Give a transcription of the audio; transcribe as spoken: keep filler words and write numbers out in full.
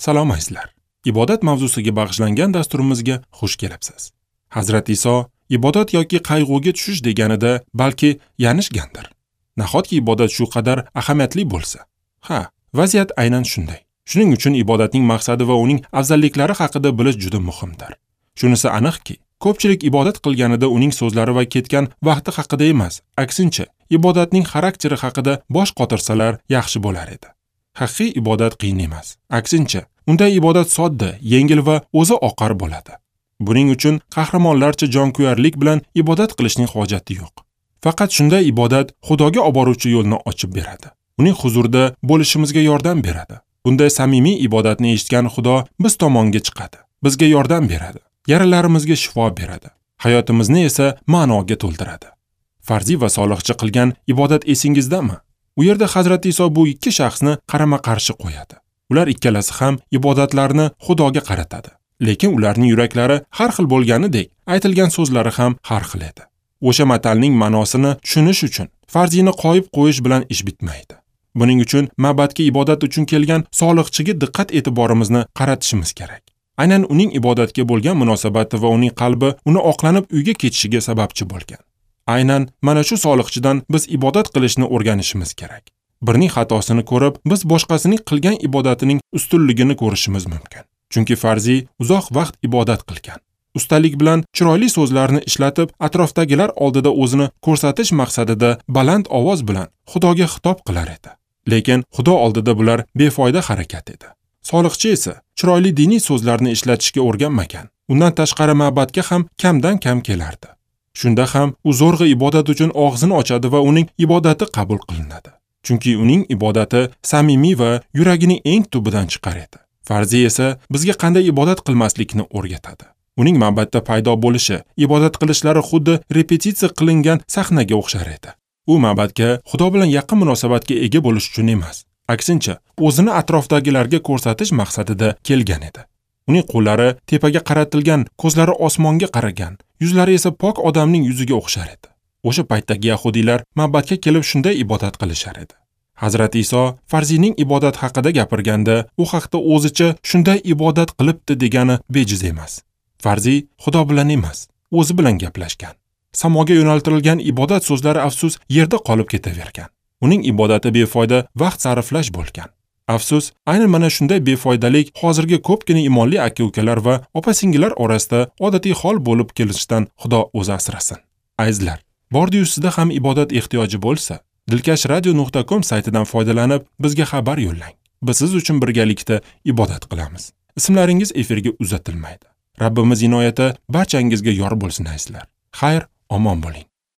Salom azizlar. Ibodat mavzusiga bag'ishlangan dasturimizga xush kelibsiz. Hazrat Iso ibodat yoki qayg'uga tushish deganida balki yanishgandir. Nahotki ibodat shu qadar ahamiyatli bo'lsa? Ha, vaziyat aynan shunday. Shuning uchun ibodatning maqsadi va uning afzalliklari haqida bilish juda muhimdir. Shunisi aniqki, ko'pchilik ibodat qilganida uning so'zlari va ketgan vaqti haqida emas, aksincha, ibodatning xarakteri haqida bosh qotirsalar yaxshi bo'lar edi. Haqiqiy ibodat qiyin emas. Aksincha, unday ibodat sodda, yengil va o'zi oqar bo'ladi. Buning uchun qahramonlarcha jonkuyarlik bilan ibodat qilishning hojati yo'q. Faqat shunday ibodat Xudoga olib boruvchi yo'lni ochib beradi. Uning huzurida bo'lishimizga yordam beradi. Bunday samimiy ibodatni eshitgan Xudo biz tomonga chiqadi, bizga yordam beradi, yaralarimizga shifo beradi, hayotimizni esa ma'noga to'ldiradi. Farziy va soliqchi qilgan ibodat esingizdami? U yerda Hazrat Iso bu ikki shaxsni qarama-qarshi qo'yadi. Ular ikkalasi ham ibodatlarni Xudoga qaratadi. Lekin ularning yuraklari har xil bo'lganidek, aytilgan so'zlari ham har xil edi. O'sha matalning ma'nosini tushunish uchun farziyni qo'yib qo'yish bilan ish bitmaydi. Buning uchun ma'batga ibodat uchun kelgan soliqchiga diqqat e'tiborimizni qaratishimiz kerak. Aynan uning ibodatga bo'lgan munosabati va uning qalbi uni oqlanib uyga ketishiga sababchi bo'lgan. Aynan mana shu soliqchidan biz ibodat qilishni o'rganishimiz kerak. Birning xatosini ko'rib, biz boshqasining qilgan ibodatining ustunligini ko'rishimiz mumkin. Chunki farziy uzoq vaqt ibodat qilgan. Ustalik bilan chiroyli so'zlarni ishlatib, atrofdagilar oldida o'zini ko'rsatish maqsadida baland ovoz bilan Xudoga xitob qilar edi. Lekin Xudo oldida bular befoyda harakat edi. Soliqchi esa chiroyli diniy so'zlarni ishlatishga o'rganmagan. Undan tashqari ma'batga ham kamdan kam kelardi. Shunda ham u zo'rg'a ibodat uchun og'zini ochadi va uning ibodati qabul qilinadi. Chunki uning ibodati samimiy va yuragining eng tubidan chiqar edi. Farziy esa bizga qanday ibodat qilmaslikni o'rgatadi. Uning ma'batda paydo bo'lishi, ibodat qilishlari xuddi repetitsiya qilingan sahnaga o'xshar edi. U ma'batga Xudo bilan yaqin munosabatga ega bo'lish uchun emas, aksincha, o'zini atrofdagilarga ko'rsatish maqsadida kelgan edi. Uning qo'llari tepaga qaratilgan, ko'zlari osmonga qaragan, yuzlari esa pok odamning yuziga o'xshar edi. O'sha paytdagi yahudiylar ma'batga kelib shunday ibodat qilishar edi. Hazrat Iso farziyning ibodat haqida gapirganda, u haqda o'zicha shunday ibodat qilibdi degani bejiz emas. Farziy Xudo bilan emas, o'zi bilan gaplashgan. Samoga yo'naltirilgan ibodat so'zlari afsus yerda qolib ketavergan. Uning ibodati befoyda vaqt sarflash bo'lgan. Afsus, aynan mana shunday befoydalik hozirgi ko'pgina imonli aka-ukalar va opa-singillar orasida odatiy hol bo'lib kelishidan Xudo o'zi asrasin. Azizlar, bordi-yu sizda ham ibodat ehtiyoji bo'lsa, dilkash radio nuqta com saytidan foydalanib bizga xabar yo'llang. Biz siz uchun birgalikda ibodat qilamiz. Ismlaringiz efirga uzatilmaydi. Rabbimiz inoyati barchangizga yor bo'lsin azizlar. Xayr, omon bo'ling.